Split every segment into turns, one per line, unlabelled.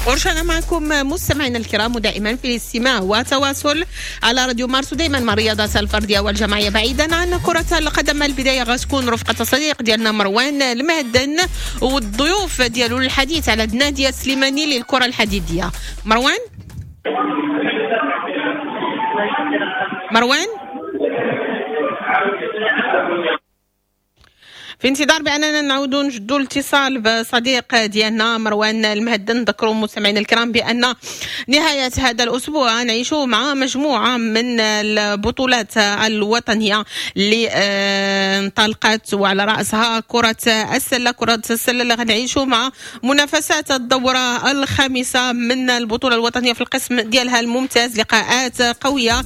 ورجعنا معكم مستمعينا الكرام، ودائما في الاستماع وتواصل على راديو مارس، ودائما مع الرياضات الفردية والجماعيه بعيدا عن كره القدم. البداية غتكون رفقه الصديق ديالنا مروان المهدن والضيوف ديالو للحديث على النادي السليماني للكرة الحديدية. مروان، مروان في انتظار باننا نعودوا نجدوا الاتصال بصديق ديالنا مروان المهدن. نذكروا مستمعينا الكرام بان نهاية هذا الاسبوع نعيشوا مع مجموعة من البطولات الوطنية اللي انطلقت، وعلى راسها كره السلة. كره السلة اللي غنعيشوا مع منافسات الدورة الخامسة من البطولة الوطنية في القسم ديالها الممتاز، لقاءات قوية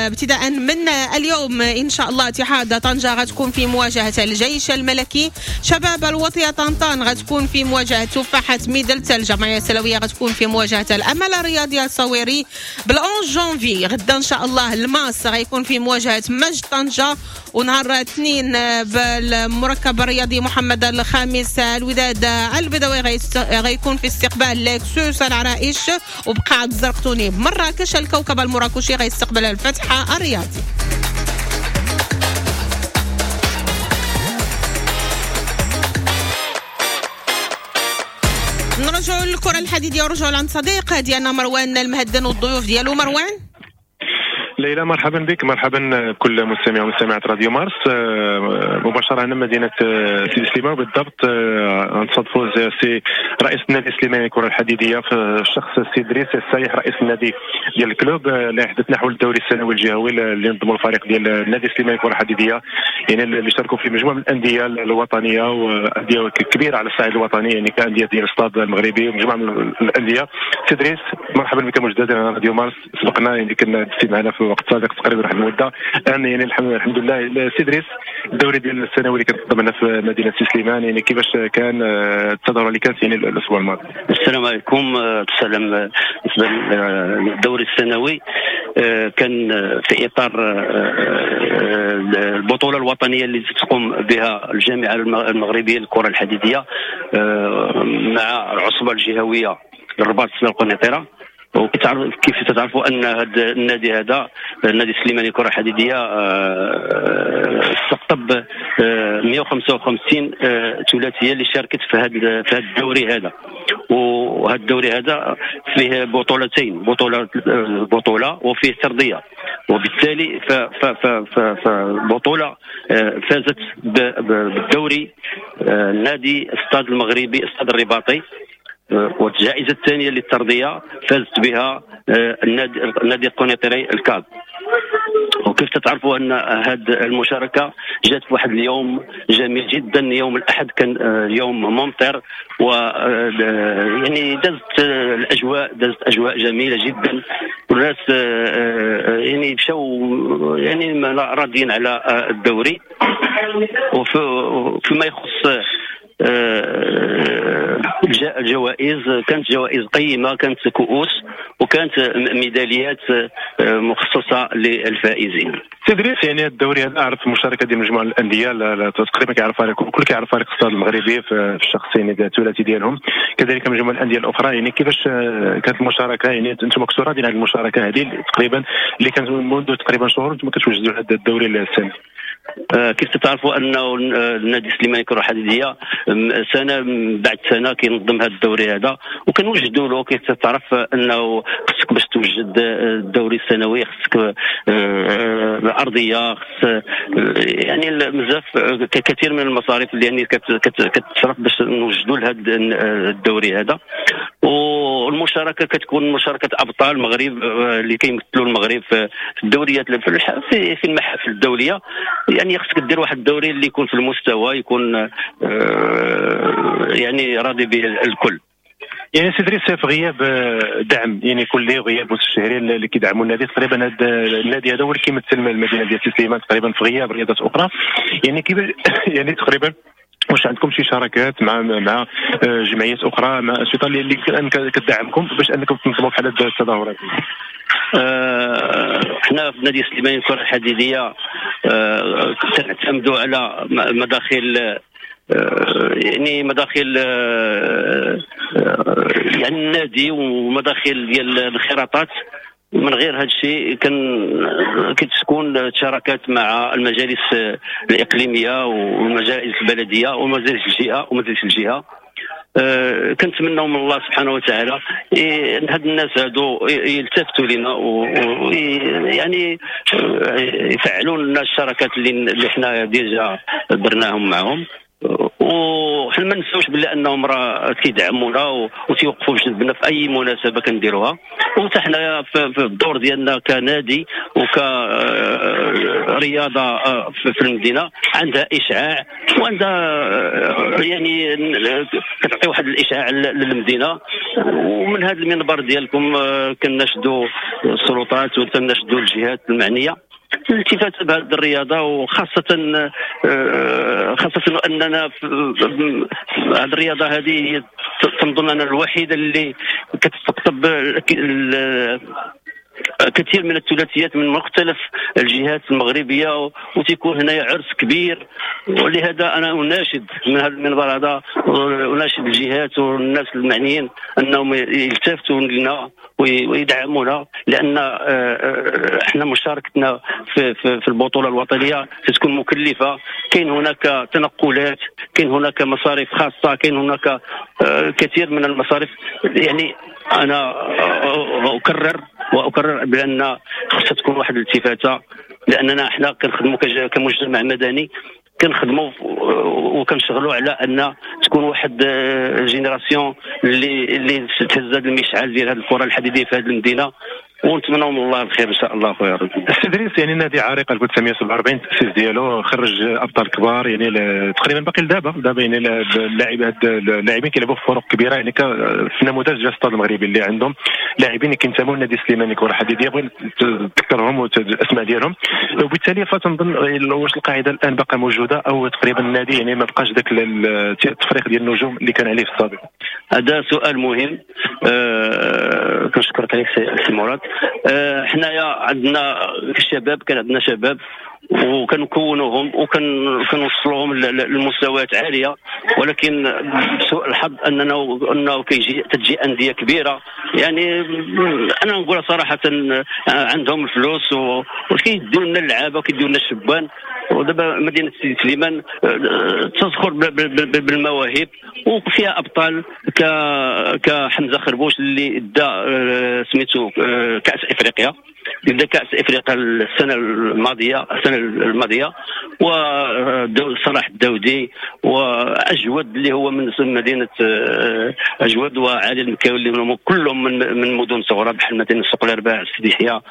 ابتداء من اليوم ان شاء الله. اتحاد طنجه غتكون في مواجهة الجيش الملكي، شباب الوطية طنطان غتكون في مواجهة تفاحة ميدلت، الجمعية السلوية غتكون في مواجهة الأمل الرياضي الصويري. بال 11 جونفي غدا إن شاء الله الماس غيكون في مواجهة مجد طنجة، ونهار الاثنين بالمركب الرياضي محمد الخامس الوداد البيضاوي غيكون في استقبال لكسوس العرائش، وبقاعة الزرقطوني بمراكش الكوكب المراكشي غيستقبل الفتحة الرياضي. نرجعوا للكرة الحديدية ورجعوا لعند صديق ديالنا مروان المهدن والضيوف ديالو. مروان.
ليلى مرحبا بك، مرحبا بكل مستمع ومستمعات راديو مارس مباشرة هنا مدينة سيدي سليمان، بالضبط نصادفوا سي رئيس النادي السليماني للكرة الحديدية في الشخص السي دريس السايح رئيس النادي ديال ال club، اللي حدثنا حول الدوري السنوي الجهوي اللي نظموا الفريق ديال النادي السليماني للكرة الحديدية، يعني اللي شاركوا في مجموعة من الاندية الوطنية وانديه كبيرة على الصعيد الوطني، يعني كانديه ديال الاستاد المغربي ومجموعة من الاندية. سي دريس مرحبا بك مجددا على راديو مارس، سبقنا يعني كنا معنا في وقت سابق تقريبا واحد المدة الان، يعني الحمد لله. سي دريس، الدوري ديال السنوي اللي كتنظم هنا في مدينة سي سليمان، يعني كيفاش كان التظاهرة اللي كانت يعني الاسبوع الماضي؟
السلام عليكم. السلام. بالنسبة للدوري السنوي كان في اطار البطولة الوطنية اللي تقوم بها الجامعة المغربية للكرة الحديدية مع العصبة الجهوية للرباط القنيطره. وكيف تعرفوا ان هذا النادي، هذا النادي السليماني للكرة الحديدية، استقطب 155 ثلاثية اللي شاركت في هذا الدوري هذا. وهذا الدوري هذا فيه بطولتين، بطوله وفيه ترضيه، وبالتالي فبطوله فازت بالدوري النادي استاد المغربي استاد الرباطي، والجائزه الثانية للترضيه فازت بها النادي القنيطري الكاب. وكيف تتعرفوا ان هذه المشاركة جات في واحد اليوم جميل جدا، يوم الاحد كان يوم ممطر، و يعني دازت الاجواء، دازت اجواء جميلة جدا، والناس يعني مشاو يعني راضيين على الدوري. وفيما يخص الجوائز، كانت جوائز قيمة، كانت كؤوس وكانت ميداليات مخصصة للفائزين.
سي دريس، يعني الدوري هذا عرف المشاركة ديال مجموعة الاندية تقريبا كيعرف فريق، كل كيعرف فريق الستاد المغربي في الشخصين الثلاثي ديالهم، كذلك مجموعة الاندية الاخرى. يعني كيفاش كانت المشاركة؟ يعني انتم كنتوا راضيين على المشاركة هذه تقريبا اللي كانت منذ تقريبا شهور انتم كتوجدوا هذا الدوري السنوي؟
كيف تعرفوا انه النادي السليماني للكرة الحديدية سنة بعد سنة كينظم هذا الدوري هذا وكنوجدوا له. كيف تعرف انه خصك باش توجد الدوري السنوي خصك ارضية، خص يعني بزاف كثير من المصاريف اللي يعني كتصرف باش نوجدوا لهذا الدوري هذا. والمشاركة كتكون مشاركة ابطال المغرب اللي كيمثلوا المغرب في الدوريات في المحافل الدولية. يعني خصك دير واحد الدوري اللي يكون في المستوى، يكون يعني راضي به الكل.
يعني سي دريس، في غياب دعم يعني كلي وغياب مستشهرين اللي كيدعموا النادي، تقريبا هذا النادي هذا هو اللي كيمثل المدينة ديال سي سليمان تقريبا في غياب رياضات اخرى. يعني كيف يعني تقريبا واش عندكم شي شراكات مع جمعيات اخرى، مع انشطة اللي كتدعمكم باش انكم تنظموا بحال هاد التظاهرات؟
حنا في نادي السليماني للكرة الحديدية كنعتمدوا على مداخل يعني مداخل يعني النادي ومداخل ديال الانخراطات. من غير هذا الشيء كتكون شراكات مع المجالس الاقليمية والمجالس البلدية ومجالس الجهة ومجالس الجهة. كنتمناو من الله سبحانه وتعالى ان هاد الناس هادو يلتفتوا لنا ويعني يفعلوا لنا الشراكات اللي حنا déjà درناهم معهم. وحنا ما نساوش باللي انهم راه كيدعمونا وتيوقفوا بجنبنا في اي مناسبة كنديروها. وحتى حنايا في الدور ديالنا كنادي وكرياضه في المدينة عندها اشعاع وعندها يعني كتعطي واحد الاشعاع للمدينة. ومن هذا المنبر ديالكم كنشدوا السلطات وكنشدوا الجهات المعنية الالتفات بهذه الرياضة، وخاصة خاصة اننا هذه الرياضة هذه تنظن انا الوحيدة اللي كتستقطب كثير من الثلاثيات من مختلف الجهات المغربية، وتيكون هنا عرس كبير. ولهذا انا اناشد من هذا المنبر هذا، اناشد الجهات والناس المعنيين انهم يلتفتوا لنا ويدعمونا، لان احنا مشاركتنا في البطولة الوطنية تكون مكلفة. كاين هناك تنقلات، كاين هناك مصاريف خاصة، كاين هناك كثير من المصاريف. يعني انا اكرر بان خصها تكون واحد الالتفاته، لاننا احنا كنخدموا كمجتمع مدني، كنخدموا وكنشغلوا على ان تكون واحد génération اللي تهز هذا المشعل ديال هذه الكره الحديدية في هذه المدينة. ونتمنوا من الله الخير ان شاء الله. خويا ربي
السي دريس، يعني النادي عريق 1947 التاسيس ديالو خرج ابطال كبار، يعني تقريبا باقي لدابا يعني اللاعبين كيلعبوا في فرق كبيرة، يعني في نموذج ديال الستاد المغربي اللي عندهم لاعبين كينتموا لنادي سليماني كره حديديه، بغيت تذكرهم والاسماء ديالهم. وبالتالي فتنظن واش القاعدة الان باقا موجودة او تقريبا النادي يعني ما بقاش ذاك التفريق ديال النجوم اللي كان عليه في السابق؟
هذا سؤال مهم، كنشكرك عليك سي مراد. حنايا عندنا الشباب، كان عندنا شباب وكنكونوهم وكنوصلوهم لمستويات عالية، ولكن بسوء الحظ انه تجي اندية كبيرة، يعني انا نقول صراحة عندهم الفلوس وكيديو لنا اللعابه وكيديو لنا الشبان. ودابا مدينة سيدي سليمان تزخر بالمواهب وفيها ابطال كحمزه خربوش اللي دا سميتو كاس افريقيا، بدا كاس افريقيا السنة الماضية، وصلاح الداودي واجود اللي هو من مدينة اجود، وعلي المكاوي اللي كلهم من مدن صغرى بحال مدينة سوق الارباع، سيدي يحيى،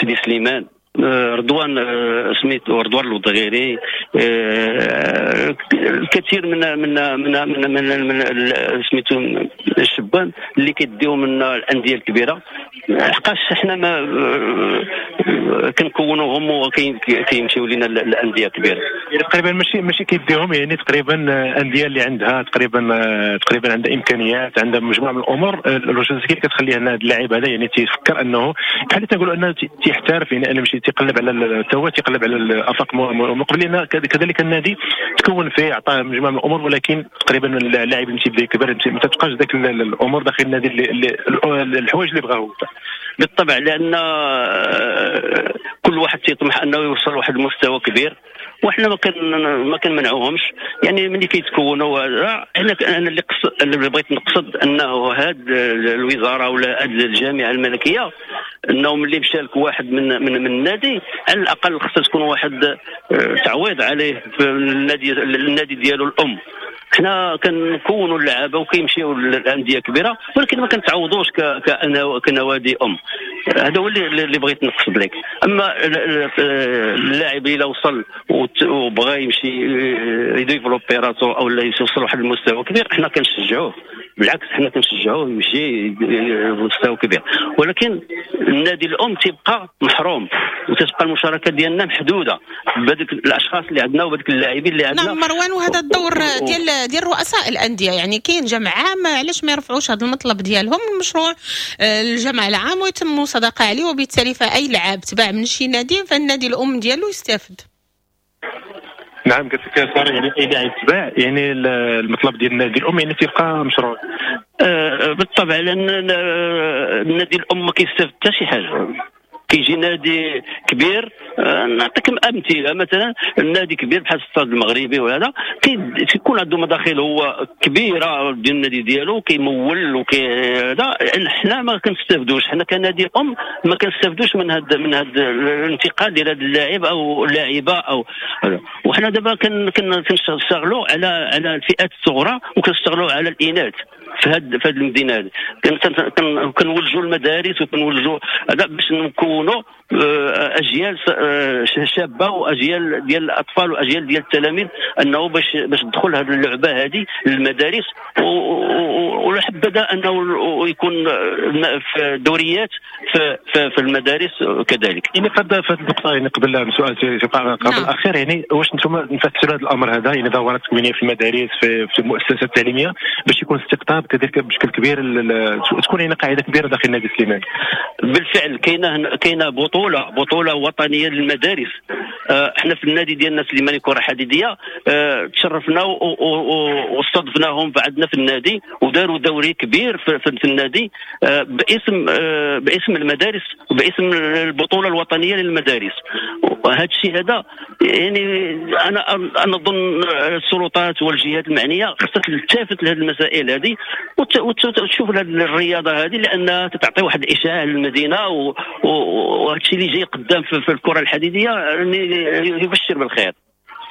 سيدي سليمان، رضوان سميتو رضوان الوضغيري، الكثير من من من من, من سميتو الشبان اللي كيديو من الاندية الكبيرة. حقاش حنا ما كنكونوهم وكيمشيو لنا الاندية الكبيرة
يعني تقريبا ماشي كيديهم، يعني تقريبا اندية اللي عندها تقريبا عندها امكانيات، عندها مجموعة من الامور اللوجستيك كتخلي هذا اللاعب هذا يعني تيفكر انه بحال تنقولوا انه تيحترف، يعني انا ماشي تيقلب على هو تيقلب على الافاق مقبل، لان كذلك النادي تكون فيه عطاه مجموعة من الامور، ولكن تقريبا اللاعب اللي تيبدا يكبر ما تبقاش ذاك الامور داخل النادي اللي الحوايج اللي بغاة هو.
بالطبع، لان كل واحد تيطمح انه يوصل لواحد المستوى كبير، وحنا ما كنمنعوهمش. يعني ملي كيتكونوا، انا اللي بغيت نقصد انه هاد الوزارة ولا هاد الجامعة الملكية انه ملي مشى لك واحد من من, من النادي، على الاقل خصها تكون واحد تعويض عليه في النادي ديالو الام. حنا كنكونوا اللعابه وكيمشيو للاندية كبيرة، ولكن ما كنتعوضوش كنوادي ام. هذا هو اللي بغيت نقصد لك. اما اللاعب الا وصل وبغى يمشي ي développer راسو او لا يوصل لواحد المستوى كبير، حنا كنشجعوه، بالعكس حنا كنشجعوه يمشي لمستوى كبير، ولكن النادي الام تيبقى محروم وتتبقى المشاركة ديالنا محدودة بهذوك الاشخاص اللي عندنا وبهذوك اللاعبين اللي عندنا.
نعم مروان، وهذا الدور ديال رؤساء الاندية، يعني كاين جمع عام، علاش ما يرفعوش هذا المطلب ديالهم المشروع الجمع العام ويتم مصادقه عليه، وبالتالي فاي لاعب تباع من شي نادي فالنادي الام ديالو يستافد.
نعم قلت لك صار يعني اي لاعب تباع يعني المطلب ديال النادي الام يعني تيبقى مشروع.
بالطبع، لان النادي الام ما كيستافد حتى شي حاجة. كيجي نادي كبير، نعطيك امثلة، مثلا النادي كبير بحال الستاد المغربي وهذا كيكون عنده مداخل هو كبيرة ديال النادي ديالو، كيمول وكي هذا. حنا ما كنستافدوش، حنا كنادي ام ما كنستافدوش من هذا الانتقال ديال هذا اللاعب او اللاعبه او هذا. وحنا دابا كنشتغلوا على الفئات الصغرى وكنشتغلوا على الاناث في هذه المدينة هذه. كنولجوا المدارس وكنولجوا هذا باش نكونوا اجيال شابه واجيال ديال الاطفال واجيال ديال التلاميذ، انه باش تدخل هذه اللعبة هذه للمدارس، ولحبذا انه يكون في دوريات في المدارس كذلك.
يعني في هذه النقطة يعني قبل سؤال قبل الاخير، يعني واش انتم نفسروا هذا الامر هذا يعني دورات تكوينيه في المدارس في المؤسسات التعليمية باش يكون استقطاب كذلك بشكل كبير، تكون هنا قاعدة كبيرة داخل النادي السليماني؟
بالفعل كاينه بطوله وطنية للمدارس. احنا في النادي ديالنا سليماني كره حديديه تشرفنا واستضفناهم بعدنا في النادي، وداروا دوري كبير في النادي باسم المدارس وباسم البطولة الوطنية للمدارس. وهذا الشيء هذا يعني انا اظن السلطات والجهات المعنية خصها تلتفت لهذه المسائل هذه وتشوف هذه الرياضة هذه، لانها تعطي واحد الاشعاع للمدينة، وهذا الشيء اللي جاي قدام في الكره الحديدية يبشر بالخير.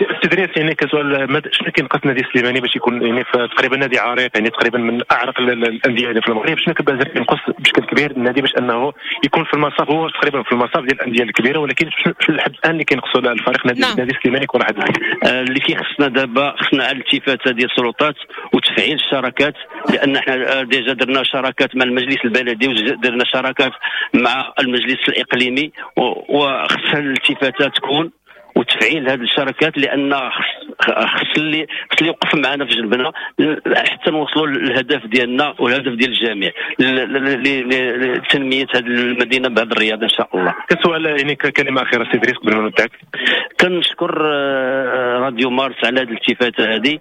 التدريس يعني كسؤال، شنو كينقص النادي السليماني باش يكون يعني تقريبا نادي عريق، يعني تقريبا من اعرق الاندية يعني في المغرب، شنو كيبان ينقص بشكل كبير النادي باش انه يكون في المصاف، هو تقريبا في المصاف ديال الاندية الكبيرة، ولكن شنو لحد الان اللي كينقصوا الفريق النادي السليماني كره حديديه؟
اللي كيخصنا دابا خصنا على الالتفاته ديال السلطات وتفعيل الشراكات، لان حنا déjà درنا شراكات مع المجلس البلدي ودرنا شراكات مع المجلس الاقليمي، وخصها الالتفاته تكون وتفعيل هذه الشراكات، لان خص اللي يوقف معنا في جنبنا حتى نوصلوا للهدف ديالنا والهدف ديال الجميع لتنميه هذه المدينة بهذه الرياضة ان شاء الله.
كسؤال يعني كلمة اخيرة سي دريس قبل ما نودعك.
كنشكر راديو مارس على هذه الالتفاته هذه،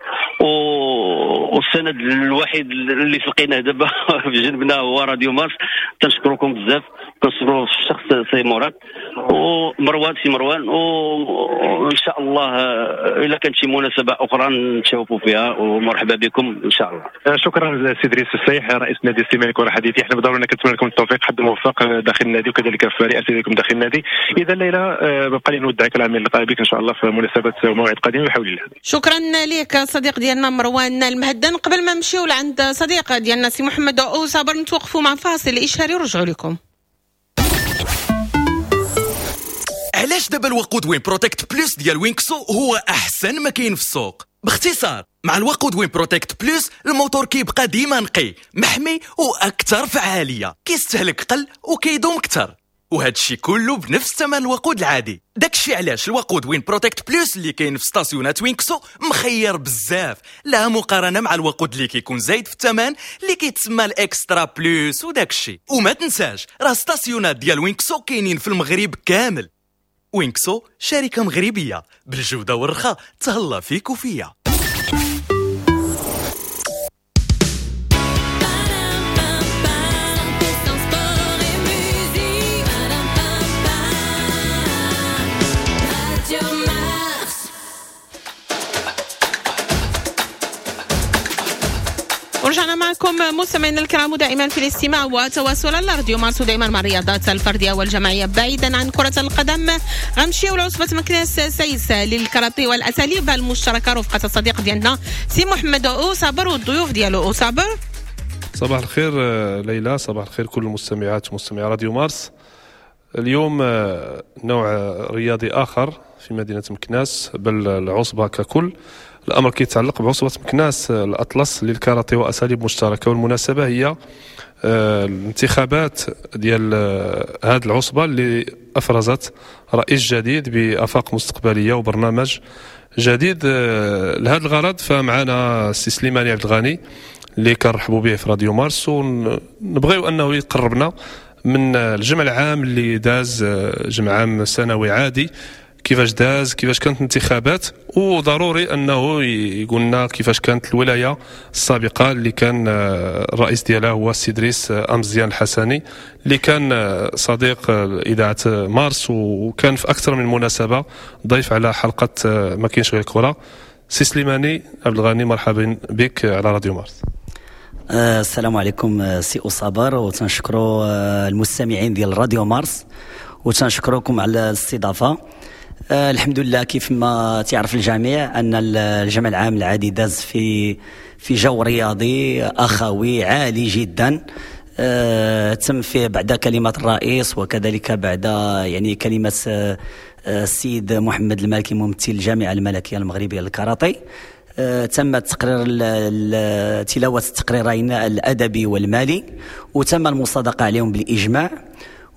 والسند الوحيد اللي لقيناه دابا في جنبنا هو راديو مارس. كنشكركم بزاف، كنشكروا الشخص سي مراد ومروان سي مروان، وان شاء الله الا كانت شي مناسبة اخرى نتشوفوا فيها، ومرحبا بكم ان شاء الله.
شكرا سي دريس السيح رئيس نادي السليماني كره حديديه. احنا بدورنا كنتمنى لكم التوفيق، حد موفق داخل النادي وكذلك في رئاستكم داخل النادي. اذا ليلى بقى لي نودعك على اللقاء بك ان شاء الله في مناسبة وموعد قادم بحول الله.
شكرا لك صديق ديالنا مروان المهدن. قبل ما نمشيو لعند صديق ديالنا سي محمد او صابر، نتوقفوا مع فاصل اشهاري ورجعوا لكم.
علاش دابا الوقود وين بروتكت بلوس ديال وينكسو هو احسن ما كاين في السوق؟ باختصار، مع الوقود وين بروتكت بلوس الموتور كيبقى ديما نقي، محمي واكثر فعالية، كيستهلك قل وكيدوم اكثر، وهذا الشيء كله بنفس ثمن الوقود العادي. داكشي علاش الوقود وين بروتكت بلوس اللي كاين في ستاسيونات وينكسو مخير بزاف، لا مقارنة مع الوقود اللي كيكون زايد في الثمن اللي كيتسمى ال extra plus وداكشي. وما تنساش راه ستاسيونات ديال وينكسو كاينين في المغرب كامل. وينكسو شركة مغربية بالجودة والرخاء، تهلا فيك وفيا.
ورجعنا معكم مستمعينا الكرام دائما في الاستماع وتواصل على راديو مارس، دائما مع الرياضات الفردية والجماعيه بعيدا عن كره القدم. غنمشيو لعصبه مكناس سايس للكاراتيه والاساليب المشتركة رفقه الصديق ديالنا سي محمد او صابر والضيوف ديالو. او صابر،
صباح الخير ليلى، صباح الخير كل المستمعات ومستمعي راديو مارس. اليوم نوع رياضي اخر في مدينة مكناس، بل العصبة ككل. الأمر كيتعلق بعصبة مكناس الأطلس للكاراتيه وأساليب مشتركة، والمناسبة هي الانتخابات ديال هذه العصبة اللي أفرزت رئيس جديد بآفاق مستقبلية وبرنامج جديد لهذا الغرض. فمعنا السي سليماني عبد الغني اللي كنرحبوا به في راديو مارس، ونبغيو أنه يقربنا من الجمع العام اللي داز، جمع عام سنوي عادي. كيفاش داز، كيفاش كانت الانتخابات، وضروري انه يقول لنا كيفاش كانت الولاية السابقة اللي كان الرئيس ديالها هو السي دريس امزيان الحسني، اللي كان صديق اذاعة مارس وكان في اكثر من مناسبة ضيف على حلقة ما كاينش غير الكره. سي سليماني عبد الغني، مرحبا بك على راديو مارس.
السلام عليكم سي أصابر، وتنشكروا المستمعين ديال راديو مارس، وتنشكركم على الاستضافة. الحمد لله، كيف ما تعرف الجميع ان الجمع العام العادي داز في جو رياضي اخوي عالي جدا. تم فيه بعد كلمة الرئيس وكذلك بعد يعني كلمة السيد محمد المالكي ممثل الجامعة الملكية المغربية للكاراتيه. تم تقرير تلاوة التقريرين الأدبي والمالي، وتم المصادقة عليهم بالإجماع،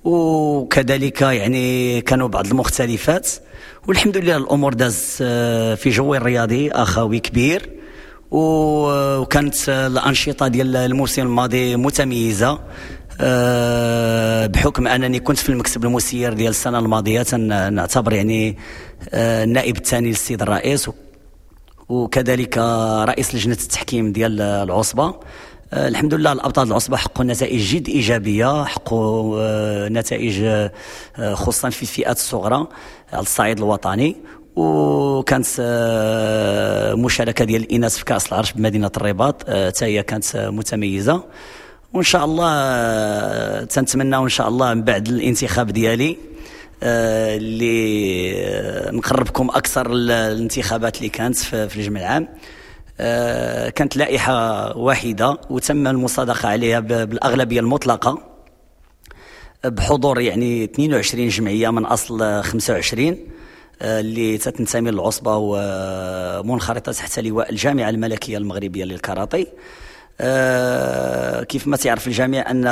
وكذلك يعني كانوا بعض المختلفات، والحمد لله الأمور داز في جو رياضي أخوي كبير، وكانت الأنشطة ديال الموسم الماضي متميزة. بحكم أنني كنت في المكتب المسير ديال السنة الماضية، نعتبر يعني النائب الثاني للسيد الرئيس وكذلك رئيس لجنة التحكيم ديال العصبة. الحمد لله الأبطال العصبة حققوا نتائج جد إيجابية، حققوا نتائج خصوصا في الفئات الصغرى على الصعيد الوطني، وكانت مشاركة ديال الإناث في كأس العرش بمدينة الرباط حتى هي كانت متميزة. وإن شاء الله تنتمنى إن شاء الله من بعد الانتخاب ديالي اللي نقربكم اكثر الانتخابات اللي كانت في الجمع العام. كانت لائحة واحدة وتم المصادقة عليها بالاغلبيه المطلقة بحضور يعني 22 جمعية من اصل 25 اللي تتنتمي للعصبه ومنخرطه تحت لواء الجامعة الملكية المغربية للكاراتيه. كيف ما تعرف الجميع ان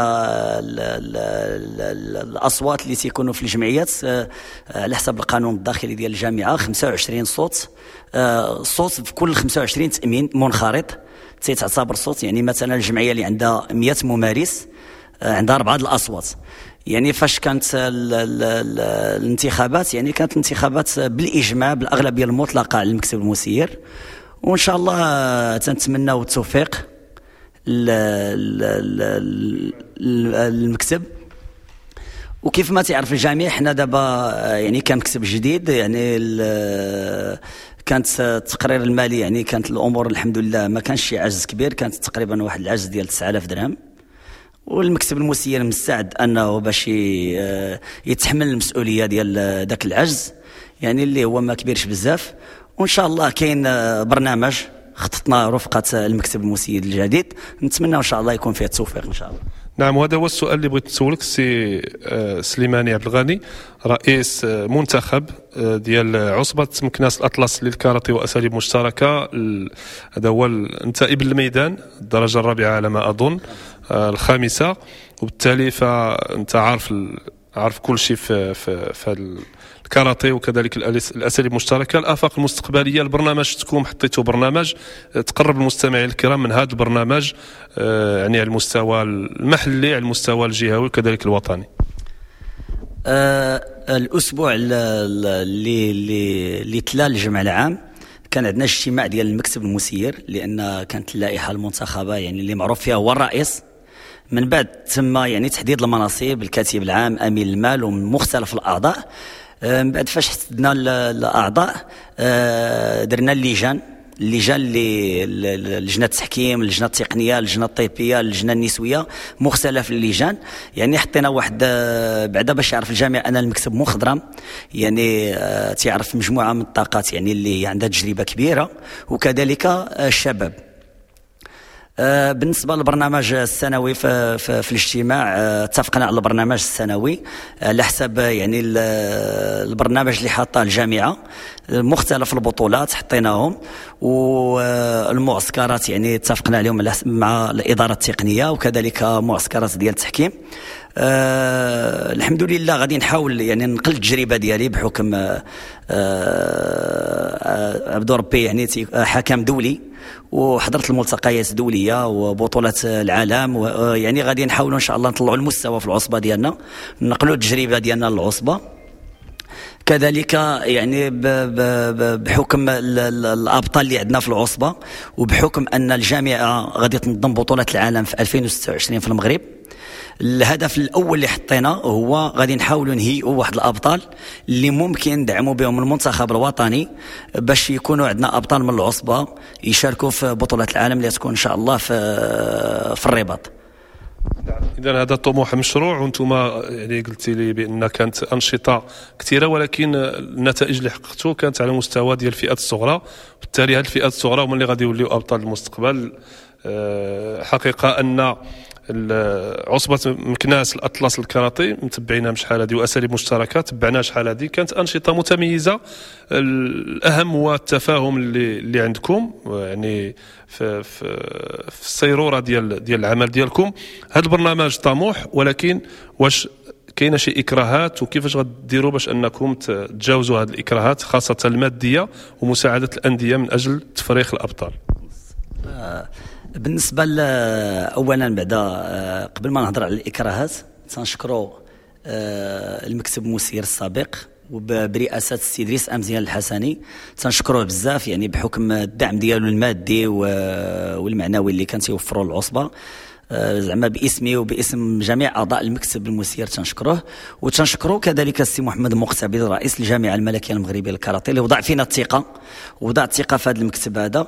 الاصوات اللي تيكونوا في الجمعيات على حسب القانون الداخلي ديال الجامعة 25 صوت، صوت في كل 25 تامين منخرط تيتعتبر صوت. يعني مثلا الجمعية اللي عندها 100 ممارس عندها 4 الاصوات. يعني فاش كانت الانتخابات، يعني كانت الانتخابات بالاجماع بالاغلبيه المطلقة على المكتب المسير، وان شاء الله تنتمناو التوفيق المكتب. وكيف ما تعرف الجميع حنا دابا يعني كان مكتب جديد، يعني كانت التقرير المالي يعني كانت الامور الحمد لله ما كانش شي عجز كبير، كانت تقريبا واحد العجز ديال 9000 درهم، والمكتب المسير مستعد انه باش يتحمل المسؤولية ديال ذاك العجز، يعني اللي هو ما كبيرش بزاف. وان شاء الله كاين برنامج خططنا رفقة المكتب المسير الجديد، نتمنى ان شاء الله يكون فيه التوفيق ان شاء الله.
نعم، وهذا هو السؤال اللي بغيت نسولك سي سليماني عبد الغني، رئيس منتخب ديال عصبة مكناس الأطلس للكاراتيه وأساليب مشتركة. هذا هو انت ابن الميدان، الدرجة الرابعة على ما أظن، الخامسة، وبالتالي فأنت عارف كل شيء في الكاراتيه وكذلك الاساليب المشتركة. الافاق المستقبلية، البرنامج تكون حطيتوا برنامج تقرب المستمعين الكرام من هذا البرنامج، يعني على المستوى المحلي، على المستوى الجهوي وكذلك الوطني.
الاسبوع اللي تلا الجمع العام كان عندنا اجتماع ديال المكتب المسير، لان كانت اللائحة المنتخبه يعني اللي معروف فيها هو الرئيس. من بعد تم يعني تحديد المناصب، الكاتب العام، امين المال، ومن مختلف الاعضاء. من بعد فاش حددنا الاعضاء درنا اللجان اللي لجنة التحكيم، اللجنة التقنية، اللجنة الطبية، اللجنة النسوية، مختلف اللجان. يعني حطينا واحد بعدا باش يعرف الجميع ان المكتب مخضرم، يعني تعرف مجموعة من الطاقات يعني اللي عندها تجربه كبيرة، وكذلك الشباب. بالنسبة للبرنامج السنوي في الاجتماع اتفقنا على البرنامج السنوي على حسب يعني البرنامج اللي حاطه الجامعة، مختلف البطولات حطيناهم، والمعسكرات يعني اتفقنا عليهم مع الادارة التقنية، وكذلك معسكرات ديال التحكيم. الحمد لله غادي نحاول يعني نقل التجربة ديالي بحكم عبد ربي يعني حكم دولي، وحضرت الملتقيات الدولية وبطولات العالم، يعني غادي نحاولوا ان شاء الله نطلعوا المستوى في العصبة ديالنا، نقلوا التجربة ديالنا للعصبه. كذلك يعني بحكم الابطال اللي عندنا في العصبة، وبحكم ان الجامعة غادي تنظم بطوله العالم في 2026 في المغرب، الهدف الاول اللي حطينا هو غادي نحاولوا نهيئوا واحد الابطال اللي ممكن ندعموا بهم المنتخب الوطني باش يكونوا عندنا ابطال من العصبة يشاركوا في بطوله العالم اللي تكون ان شاء الله في الرباط.
اذا هذا طموح مشروع، وانتم يعني قلتي لي بان كانت انشطة كثيرة، ولكن النتائج اللي حققتوا كانت على مستوى ديال الفئات الصغرى، بالتالي هذه الفئات الصغرى هما اللي غادي يوليو ابطال المستقبل. حقيقة ان عصبة مكناس الأطلس الكاراتي متبعينها شحال هذه، وأساليب مشتركة تبعناها شحال هذه، كانت أنشطة متميزة. الأهم هو التفاهم اللي عندكم يعني في السيرورة ديال العمل ديالكم. هذا البرنامج طموح، ولكن واش كاينه شي إكراهات، وكيفاش غديروا باش أنكم تتجاوزوا هذه الإكراهات خاصة المادية ومساعدة الأندية من أجل تفريخ الأبطال؟
بالنسبة اولا بعدا قبل ما نهضر على الاكراهات تنشكروا المكتب المسير السابق وبرئاسه السي ادريس امزيان الحسني، تنشكروه بزاف يعني بحكم الدعم ديالو المادي والمعنوي اللي كان تيوفروا العصبة، زعما باسمي وباسم جميع اعضاء المكتب المسير تنشكروه. وتنشكروا كذلك السي محمد مقتبل رئيس الجامعة الملكية المغربية للكاراتيه اللي وضع فينا الثقة، وضع الثقة في هذا المكتب هذا،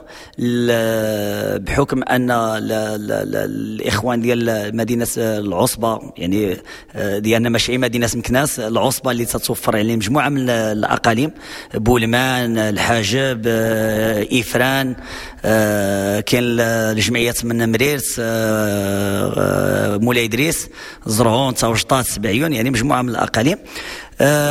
بحكم ان الاخوان ديال مدينة العصبة يعني ديالنا ماشي مدينة مكناس، العصبة اللي تتوفر عليه مجموعة من الاقاليم، بولمان، الحاجب، افران، كاين الجمعيات من مريرت، مولاي ادريس، زرهون، تاوجطات، سبعيون، يعني مجموعة من الاقاليم.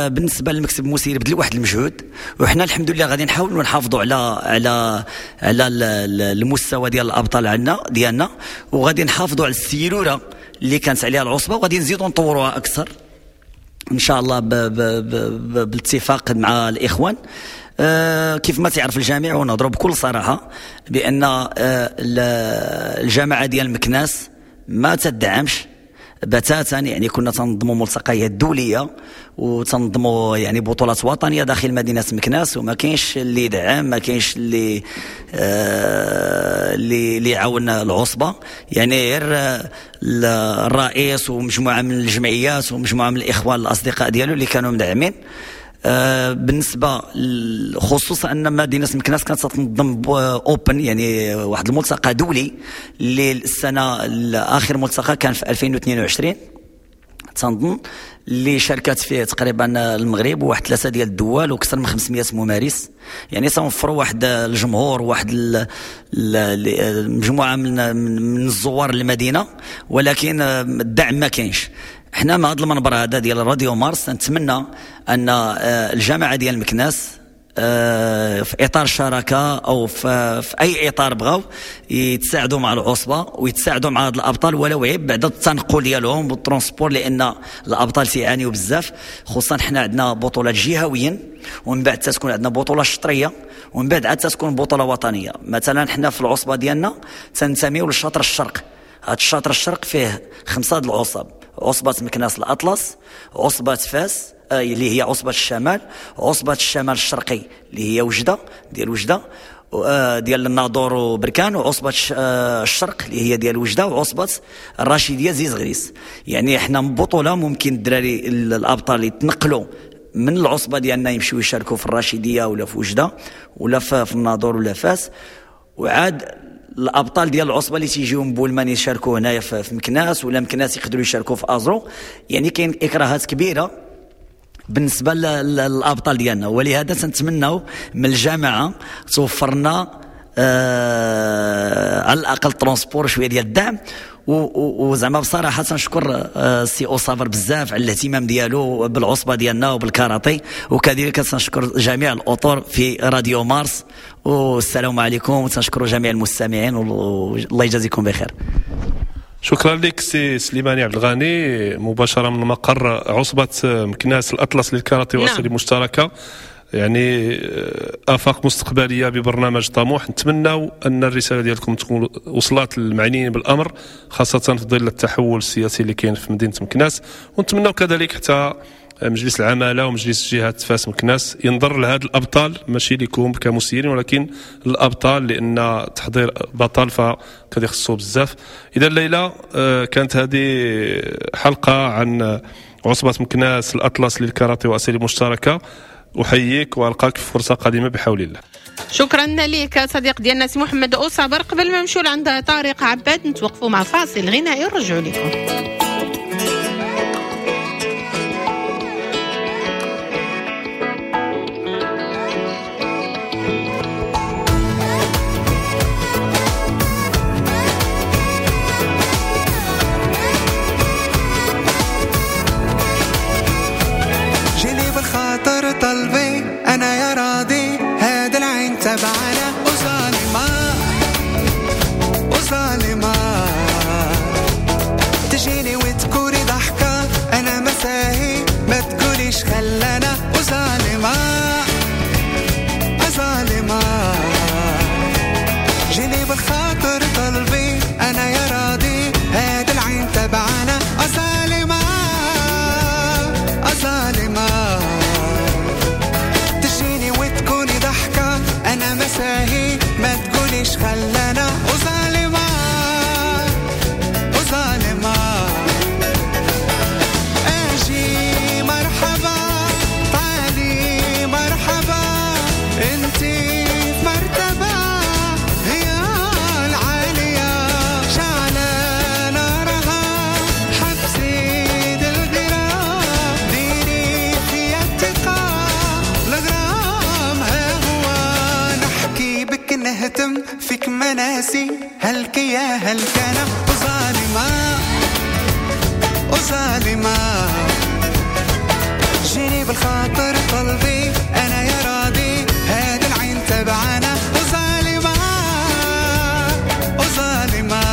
بالنسبة للمكتب المسير بذل واحد المجهود، وحنا الحمد لله غادي نحاولوا نحافظوا على على على المستوى ديال الابطال عندنا ديالنا، وغادي نحافظوا على السيروره اللي كانت عليها العصبة، وغادي نزيدوا نطوروها اكثر ان شاء الله بالاتفاق مع الاخوان. كيف ما تعرف الجميع، ونهضروا بكل صراحة بان الجامعة ديال مكناس ما تدعمش بتاتا، يعني كنا تنظموا ملتقيات دولية وتنظموا يعني بطولات وطنية داخل مدينة مكناس، وما كاينش اللي يدعم، ما كاينش اللي اللي يعاون العصبة، يعني غير الرئيس ومجموعة من الجمعيات ومجموعة من الاخوان الاصدقاء ديالو اللي كانوا مدعمين. بالنسبة خصوصا ان مدينة مكناس كانت تنظم open، يعني واحد الملتقى دولي اللي السنة اخر ملتقى كان في 2022 تنظن، اللي شاركت فيه تقريبا المغرب وواحد 3 ديال الدول واكثر من 500 ممارس، يعني تنوفروا واحد الجمهور واحد المجموعة من الزوار للمدينة، ولكن الدعم ما كاينش. حنا مع هذا المنبر هذا ديال راديو مارس نتمنى ان الجامعة ديال مكناس في اطار شراكة او في اي اطار بغاو يتساعدوا مع العصبة ويتساعدوا مع هاد الابطال، ولو عيب بعد التنقل ديالهم بال transport، لان الابطال تيعانيوا بزاف، خصوصا حنا عندنا بطولات جهويا، ومن بعد تتكون عندنا بطوله شطريه، ومن بعد عاد تتكون بطوله وطنية. مثلا حنا في العصبة ديالنا تنتميو للشطر الشرق، هاد الشطر الشرق فيه 5 د العصب: عصبة مكناس الأطلس، عصبة فاس اللي هي عصبة الشمال، عصبة الشمال الشرقي اللي هي وجدة ديال وجدة ديال الناظور وبركان، وعصبة الشرق اللي هي ديال وجدة، وعصبة الرشيدية زيز غريس. يعني احنا بطولة ممكن الدراري الأبطال يتنقلوا من العصبة ديالنا يمشيو يشاركوا في الرشيدية ولا في وجدة ولا في الناظور ولا فاس، وعاد الابطال ديال العصبة اللي تيجيو من بولمان يشاركوا هنايا في مكناس، ولا مكناس يقدروا يشاركوا في ازرو. يعني كاين اكراهات كبيرة بالنسبة للابطال ديالنا، ولهذا تنتمناو من الجامعة توفر لنا على الاقل transport، شوية ديال الدعم. وزعما بصراحة تنشكر السي اوصافر بزاف على الاهتمام ديالو بالعصبه ديالنا وبالكاراتي، وكذلك تنشكر جميع الاطر في راديو مارس، والسلام عليكم، وتنشكروا جميع المستمعين، والله يجازيكم بخير.
شكرا لك سي سليماني عبد الغني، مباشرة من مقر عصبه مكناس الاطلس للكاراتي واساليب مشتركة. يعني آفاق مستقبلية ببرنامج طموح. نتمنى أن الرسالة ديالكم تكون وصلت للمعنيين بالأمر، خاصة في ظل التحول السياسي اللي كاين في مدينة مكناس، ونتمنى كذلك حتى مجلس العمالة ومجلس جهة فاس مكناس ينظر لهاد الابطال، ماشي لكم كمسيرين ولكن الابطال، لان تحضير بطل فكيخصو بزاف. اذا ليلى كانت هذه حلقة عن عصبه مكناس الاطلس للكاراتيه واساليب مشتركة. احييك والقاك في فرصة قادمة بحول الله.
شكرا لك صديق ديالنا سي محمد أوصابر. قبل ما نمشيو لعند طارق عباد نتوقفوا مع فاصل غنائي ونرجعوا لكم.
فيك مناسي هلك يا هلك أنا وظالمة وظالمة جيني بالخاطر طلبي أنا يا راضي هذا العين تبعنا وظالمة وظالمة.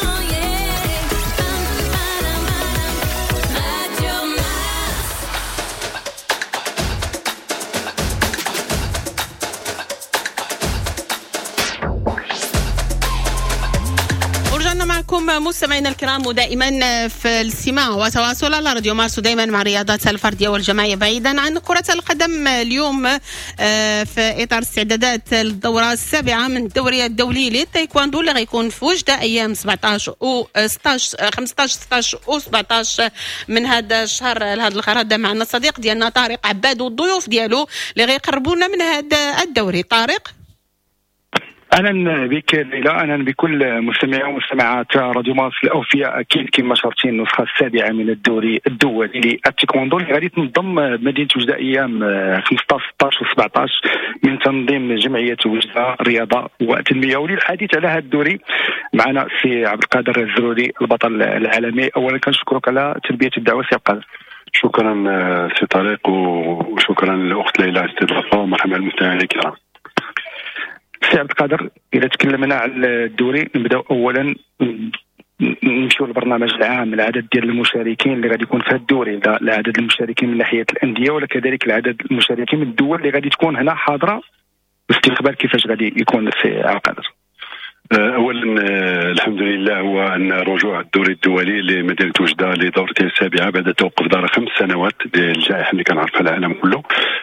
Oh yeah.
معكم مستمعينا الكرام، ودائما في الاستماع وتواصل على راديو مارس، ودائما مع الرياضات الفردية والجماعيه بعيدا عن كره القدم. اليوم في اطار استعدادات الدورة السابعة من الدوري الدولي للتايكواندو اللي غيكون في وجده ايام 17 و 16، 15، 16 و 17 من هذا الشهر. لهذا الغرض معنا الصديق ديالنا طارق عباد والضيوف ديالو اللي غيقربونا من هذا الدوري. طارق.
اهلا بك ليلى، اهلا بكل مستمعي ومستمعات راديو مارس الاوفياء. اكيد كما شرتي، النسخة السابعة من الدوري الدولي للتايكوندو اللي غادي تنظم بمدينة وجده ايام 15، 16 و 17 من تنظيم جمعية وجده الرياضة والتنميه. وللحديث على هذا الدوري معنا سي عبد القادر الزروري، البطل العالمي. اولا كنشكرك على تلبية الدعوة سي عبد القادر.
شكرا سي طارق، وشكرا للاخت ليلى على الاستضافه، ومرحبا بالمستمعين الكرام.
سي عبد القادر، اذا تكلمنا على الدوري، نبداو اولا نمشيو للبرنامج العام، العدد ديال المشاركين اللي غادي يكون في هذا الدوري، العدد المشاركين من ناحية الاندية ولا كذلك العدد المشاركين من الدول اللي غادي تكون هنا حاضره، الاستقبال كيفاش غادي يكون سي عبد القادر؟
اولا الحمد لله هو ان رجوع الدوري الدولي لمدينة وجده لدورته السابعة بعد توقف دار 5 سنوات للجائحه اللي كنعرفها العالم كله.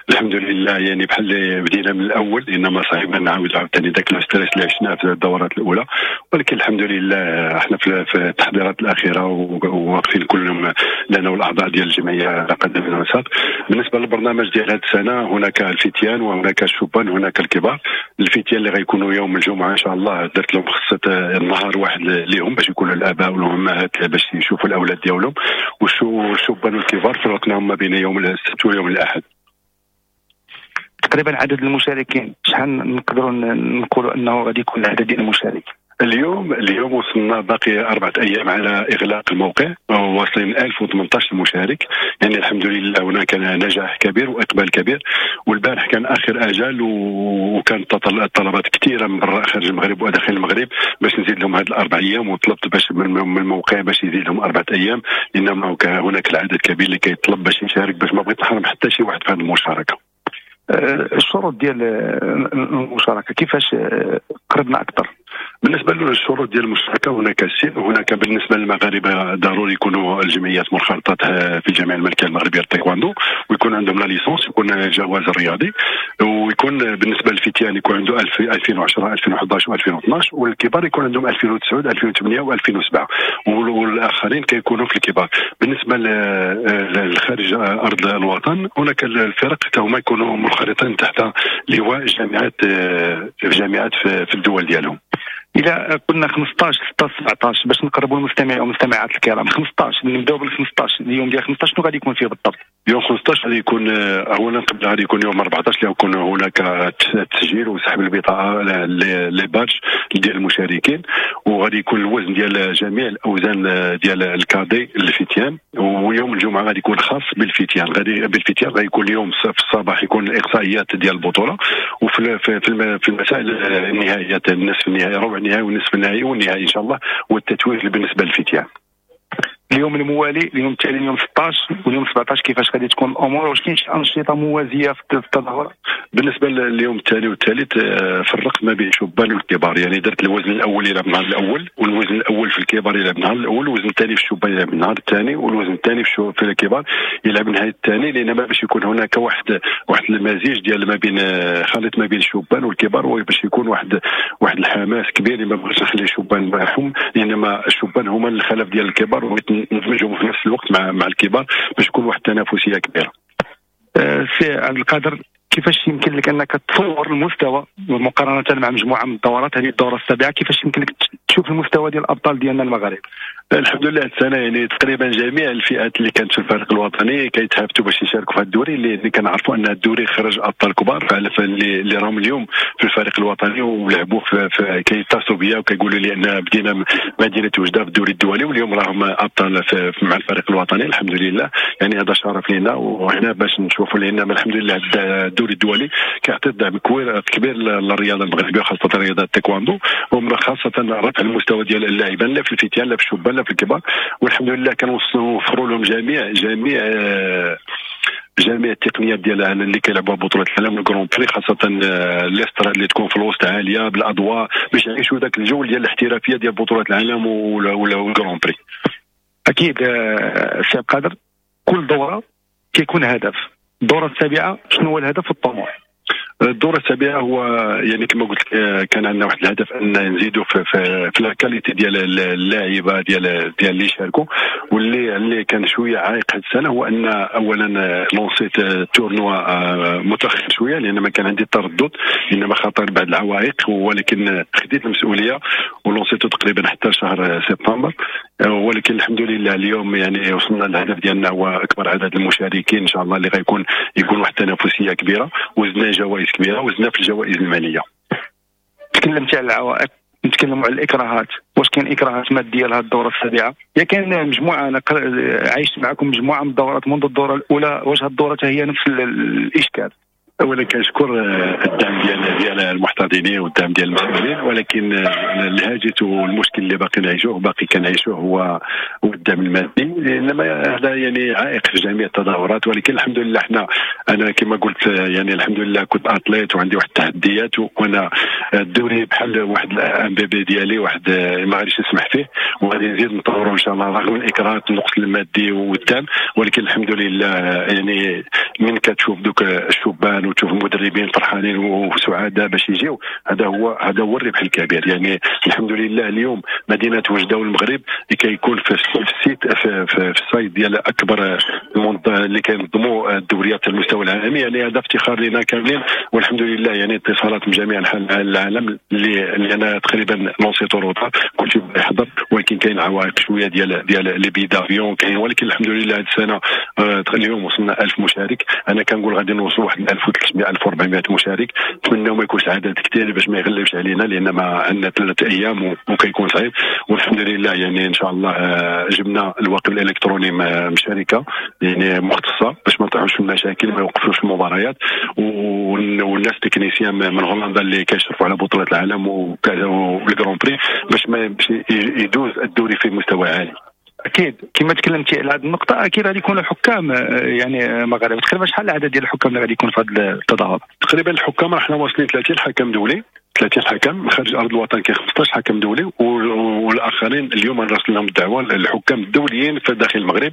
الحمد لله، يعني بحال اللي بدينا من الاول، انما صعيب نعاود عاوتاني ذاك le stress اللي عشناه في الدورات الاولى، ولكن الحمد لله احنا في التحضيرات الاخيرة وواقفين كلهم لنا والاعضاء ديال الجمعية على قدم وساق. بالنسبة للبرنامج ديال هذه السنه، هناك الفتيان وهناك الشبان وهناك الكبار. الفتيان اللي غيكونوا يوم الجمعة ان شاء الله، درت لهم خصت النهار واحد ليهم باش يكونوا الاباء والامهات باش يشوفوا الاولاد ديالهم، والشبان والكبار فرقناهم ما بين يوم السبت ويوم الاحد.
تقريبا عدد المشاركين، شحال نقدروا نقولوا انه غادي يكون العدد ديال المشاركين؟
اليوم وصلنا، باقي 4 ايام على اغلاق الموقع، واصلين 1018 مشارك. يعني الحمد لله هناك نجاح كبير واقبال كبير، والبارح كان اخر اجل وكانت الطلبات كثيرة من برا، خارج المغرب وداخل المغرب، باش نزيد لهم هذه ال4 ايام، وطلبت باش من الموقع باش يزيد لهم 4 ايام، لان هناك العدد كبير اللي كيطلب باش يشارك، باش ما بغيت نحرم حتى شي واحد في هذه المشاركه.
الشروط ديال المشاركة كيفاش؟ قربنا اكثر.
بالنسبة للشروط ديال المشاركه، هناك السن، هناك بالنسبة للمغاربة ضروري يكونوا الجمعيات منخرطات في الجامعة الملكية المغربية للتايكواندو، ويكون عندهم la licence، يكون الجواز الرياضي، ويكون بالنسبة للفتيان يكون عنده 2010، 2011 و2012، والكبار يكون عندهم 2009، 2008 و2007، والاخرين كيكونوا في الكبار. بالنسبة للخارج ارض الوطن، هناك الفرق هما يكونوا منخرطين تحت لواء جامعات في الدول ديالهم.
الى قلنا 15، 16، 17، باش نقربوا المستمعين والمستمعات الكرام، 15، نبداو بال 15، اليوم ديال 15 شنو غادي يكون فيه بالضبط؟
يوم 15 غادي يكون اولا، قبل غادي يكون يوم 14 اللي يكون هناك تسجيل وسحب البطاقه، les badges ديال المشاركين، وغادي يكون الوزن ديال جميع الاوزان ديال ال cadets الفتيان. ويوم الجمعة غادي يكون خاص بالفتيان، غادي بالفتيان غادي يكون اليوم في الصباح يكون الاقصائيات ديال البطوله، وفي في في المساء النهائيات، النصف النهائي، ربع النهائي والنصف النهائي والنهائي ان شاء الله، والتتويج بالنسبة للفتيان.
اليوم الموالي، اليوم التالي، اليوم 16 واليوم 17، كيفاش غادي تكون الامور؟ واش كاين شي انشطة موازية في التظاهرات؟
بالنسبة لليوم الثاني والثالث، فرقت ما بين الشبان والكبار، يعني درت الوزن الاول يلعب النهار الاول، والوزن الاول في الكبار يلعب النهار الاول، والوزن الثاني في الشبان يلعب النهار الثاني، والوزن الثاني في الكبار يلعب النهار الثاني، لان باش يكون هناك واحد المزيج ديال ما بين خليط ما بين الشبان والكبار، وباش يكون واحد الحماس كبير. ما بغيتش نخلي الشبان معهم، لان الشبان هما الخلف ديال الكبار، وبغيت ندمجهم في نفس الوقت مع الكبار باش يكون واحد التنافسية كبيره.
سي عبد القادر، كيفاش يمكن لك انك تصور المستوى مقارنة مع مجموعة من الدورات؟ هذه الدورة السابعه، كيفاش يمكن لك تشوف المستوى ديال الابطال ديالنا المغاربه؟
الحمد لله، السنة يعني تقريبا جميع الفئات اللي كانت في الفريق الوطني كيتهافتوا باش يشاركوا في هذا الدوري، اللي كنعرفوا ان الدوري خرج ابطال كبار اللي راهم اليوم في الفريق الوطني ولعبوا في كيتصلوا بيا وكيقولوا لي ان بدينا مدينة وجده في الدوري الدولي، واليوم راهم ابطال مع الفريق الوطني. الحمد لله، يعني هذا شرف لنا وحنا باش نشوفوا، لان الحمد لله الدوري الدولي كيعطي دعم كبير للرياضة المغربيه، خاصة رياضة التايكواندو، وخاصة رفع المستوى ديال اللاعبين، لا في الفتيان لا في الشبان لا في الكبار. والحمد لله كنوفروا لهم جميع جميع جميع التقنيات ديال اللي كيلعبوها بطوله العالم ال Grand Prix، خاصة l'estrade اللي تكون في الوسط عالية بالاضواء باش يعيشوا ذاك الجو ديال الاحترافية ديال بطوله العالم وال Grand Prix.
اكيد سي عبد القادر، كل دوره كيكون هدف. الدورة السابعة شنو هو الهدف والطموح؟
الدورة السابعة هو يعني كما قلت لك كان عندنا واحد الهدف ان نزيدوا في la qualité ديال اللاعبه ديال اللي شاركوا، واللي كان شوية عائق هذه السنة هو ان اولا lancé ت tournoi متاخر شوية، لان ما كان عندي تردد، انما خاطر بعض العوائق، ولكن خديت المسؤولية و lancé تو تقريبا حتى شهر سبتمبر. ولكن الحمد لله اليوم يعني وصلنا للهدف ديالنا، هو اكبر عدد المشاركين ان شاء الله اللي غيكون يكون واحد التنافسية كبيرة، وزدنا جوائز كبيرة وزدنا في الجوائز المالية.
تكلمتي على العوائق، نتكلموا على الاكراهات. واش كاين اكراهات مادية لهذه الدورة السابعة؟ يا كاين مجموعة، انا عايشت معكم مجموعة من الدورات منذ الدورة الاولى، واش هذه الدورة هي نفس الاشكال؟
اولا كنشكر الدعم ديال المحتضنين والدعم ديال المسؤولين، ولكن الهاجس والمشكل اللي باقي نعيشوه باقي كنعيشوه هو الدعم المادي، انما هذا يعني عائق في جميع التظاهرات. ولكن الحمد لله حنا انا كما قلت يعني الحمد لله كنت athlète وعندي واحد التحديات، وانا الدوري بحال واحد un bébé ديالي، واحد ما غاديش نسمح فيه وغادي نزيد نطورو ان شاء الله رغم الاكراهات النقص المادي والدعم. ولكن الحمد لله يعني من كتشوف دوك الشبان وتشوف المدربين فرحانين وسعداء باش يجيو، هذا هو الربح الكبير. يعني الحمد لله اليوم مدينة وجده والمغرب كيكون في ال site في ال site ديال اكبر اللي كينظموا الدوريات على المستوى العالمي، يعني هذا افتخار لنا كاملين. والحمد لله يعني اتصالات من جميع انحاء العالم اللي انا تقريبا lancé تو retard كلشي يحضر، ولكن كاين عوائق شوية ديال les billets d'avion كاين، ولكن الحمد لله هذه السنة اليوم وصلنا 1000 مشارك. انا كنقول غادي نوصلوا واحد 1300 1400 مشارك، نتمنى ما يكونش عدد كثير باش ما يغلبش علينا، لان ما عندنا 3 ايام وكيكون صعيب. والحمد لله يعني ان شاء الله جبنا الواقي الالكتروني من شركة يعني مختصة باش ما نطيحوش في المشاكل، ما يوقفوش المباريات، والناس techniciens من هولندا اللي كيشرفوا على بطوله العالم وال Grand Prix باش ما يدوز الدوري في مستوى عالي.
اكيد كما تكلمتي على هذه النقطة، اكيد غادي يكونوا حكام يعني مغاربة. تقريبا شحال العدد ديال الحكام اللي غادي يكون في هذا التظاهر؟
تقريبا الحكام حنا واصلين 30 حكم دولي، 30 حكم خارج ارض الوطن، كاين 15 حكم دولي، والاخرين اليوم راسلنا لهم الدعوة الحكام الدوليين في داخل المغرب،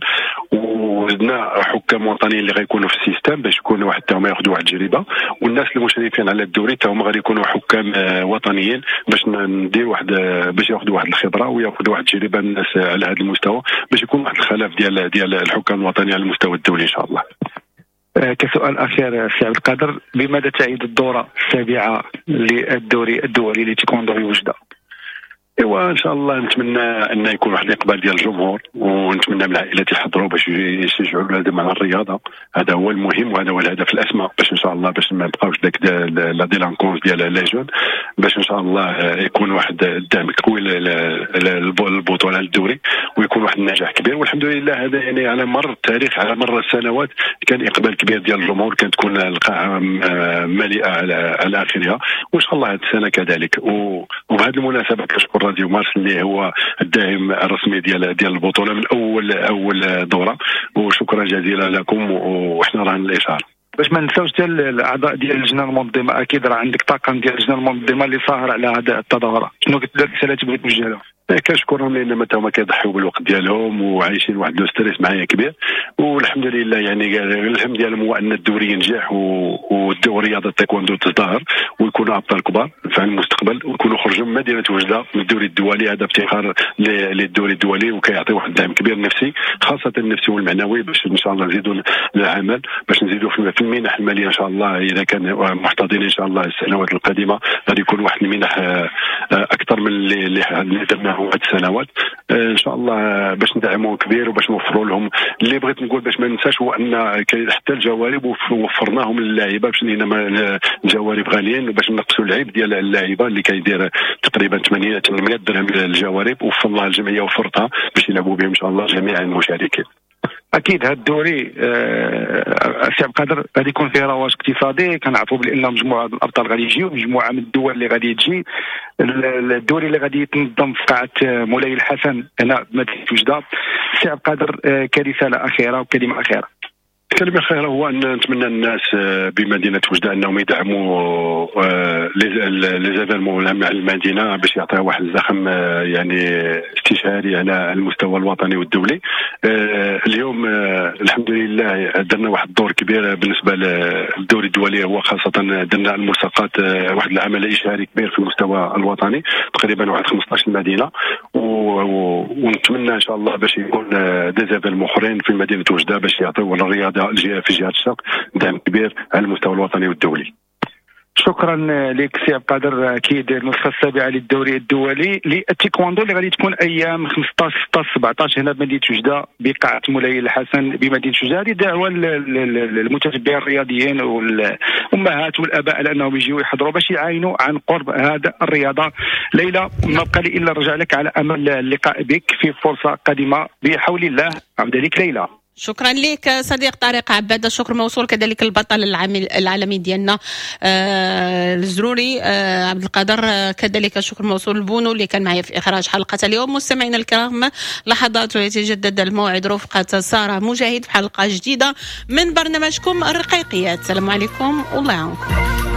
وزدنا حكام وطنيين اللي غيكونوا في ال système باش يكونوا حتى هما ياخذوا واحد التجربة، والناس المشرفين على الدوري حتى هما غادي يكونوا حكام وطنيين باش ندير واحد باش ياخذوا واحد الخبرة وياخذوا واحد التجربة الناس على هذا المستوى، باش يكون واحد الخلاف ديال الحكام الوطنيين على المستوى الدولي ان شاء الله.
كسؤال أخير سي عبد القادر، بماذا تعيد الدورة السابعة للدوري الدولي لتيكوندو في وجدة؟
ايوا ان شاء الله نتمنى ان يكون واحد الاقبال ديال الجمهور، ونتمنى من العائلات يحضروا باش يشجعوا اولادهم على الرياضة، هذا هو المهم وهذا هو الهدف الاسمى، باش ان شاء الله باش ما نبقاوش داك la délinquance ديال les jeunes، باش ان شاء الله يكون واحد الدعم قوي للبطولة للدوري ويكون واحد النجاح كبير. والحمد لله هذا يعني على مر التاريخ على مر السنوات كان اقبال كبير ديال الجمهور، كانت تكون القاعة مليئة على اخرها، وان شاء الله هذه السنة كذلك. وبهذه المناسبة كنشكر راديو مارس اللي هو الداعم الرسمي ديال البطولة من اول دوره، وشكرا جزيلا لكم، وحنا راه الاشارة.
باش ما ننساوش حتى الاعضاء ديال اللجنة المنظمة، اكيد راه عندك طاقم ديال اللجنة المنظمة اللي ساهر على هذه التظاهرة، شنو الرسالة تبغي توجه لهم؟
كنشكرهم لان هما كيضحيو بالوقت ديالهم وعايشين واحد le stress معايا كبير، والحمد لله يعني الهم ديالهم هو ان الدوري ينجح والدوري رياضة التايكوندو تزدهر ويكونوا ابطال كبار في المستقبل، ويكونوا خرجوا من مدينة وجده من الدوري الدولي. هذا افتخار للدوري الدولي وكيعطي واحد الدعم كبير نفسي، خاصة النفسي والمعنوي، باش ان شاء الله نزيدوا العمل، باش نزيدوا في المنح المالية ان شاء الله. اذا كان محتضنين ان شاء الله السنوات القادمة غادي يكون واحد المنح اكثر من اللي درناه هاد السنوات ان شاء الله، باش ندعموهم كبير وباش نوفروا لهم. اللي بغيت نقول باش ما ننساش هو ان حتى الجوارب وفرناهم للاعيبه، باش لان الجوارب غاليين، باش نقصوا العيب ديال اللاعيبه اللي كيدير تقريبا 800 درهم للجوارب، وفرناها الجمعية وفرتها باش يلعبوا بهم ان شاء الله جميع المشاركين.
اكيد هذا الدوري سي عبد القادر غادي يكون فيه رواج اقتصادي، كنعرفوا بان مجموعة من الابطال غادي يجيو، مجموعة من الدول اللي غادي تجي. الدوري اللي غادي يتنظم في قاعة مولاي الحسن هنا بمدينة وجده. سي عبد القادر كرسالة اخيرة وكلمه اخيرة.
الكلمة الأخيرة هو ان نتمنى الناس بمدينة وجده انهم يدعموا les événements مع المدينة باش يعطيها واحد الزخم يعني استشهاري على المستوى الوطني والدولي. اليوم الحمد لله درنا واحد الدور كبير بالنسبة للدوري الدولي، هو خاصة درنا الملصقات، واحد العمل اشهاري كبير في المستوى الوطني تقريبا واحد 15 مدينة، ونتمنى ان شاء الله باش يكون des événements اخرين في مدينة وجده باش يعطيو الرياضة في جهة الشرق دعم كبير على المستوى الوطني والدولي.
شكرا لك سي عبد القادر. اكيد النسخة السابعة للدوري الدولي للتيكواندو اللي غادي تكون ايام 15، 16، 17 هنا بمدينة وجده بقاعه مولاي الحسن بمدينة وجده. هذه دعوه للمتتبعين الرياضيين والامهات والاباء على انهم يجيو يحضروا باش يعاينوا عن قرب هذا الرياضة. ليلى، ما بقى لي الا نرجع لك على امل اللقاء بك في فرصة قادمة بحول الله. عوده لك ليلى.
شكرا لك صديق طارق عباد، الشكر موصول كذلك البطل العالمي ديالنا الزروري عبد القادر، كذلك الشكر موصول لبونو اللي كان معي في اخراج حلقة اليوم. مستمعينا الكرام، لحظات ويتجدد الموعد رفقه ساره مجاهد في حلقة جديدة من برنامجكم الرقيقيات. السلام عليكم والله يعاونكم.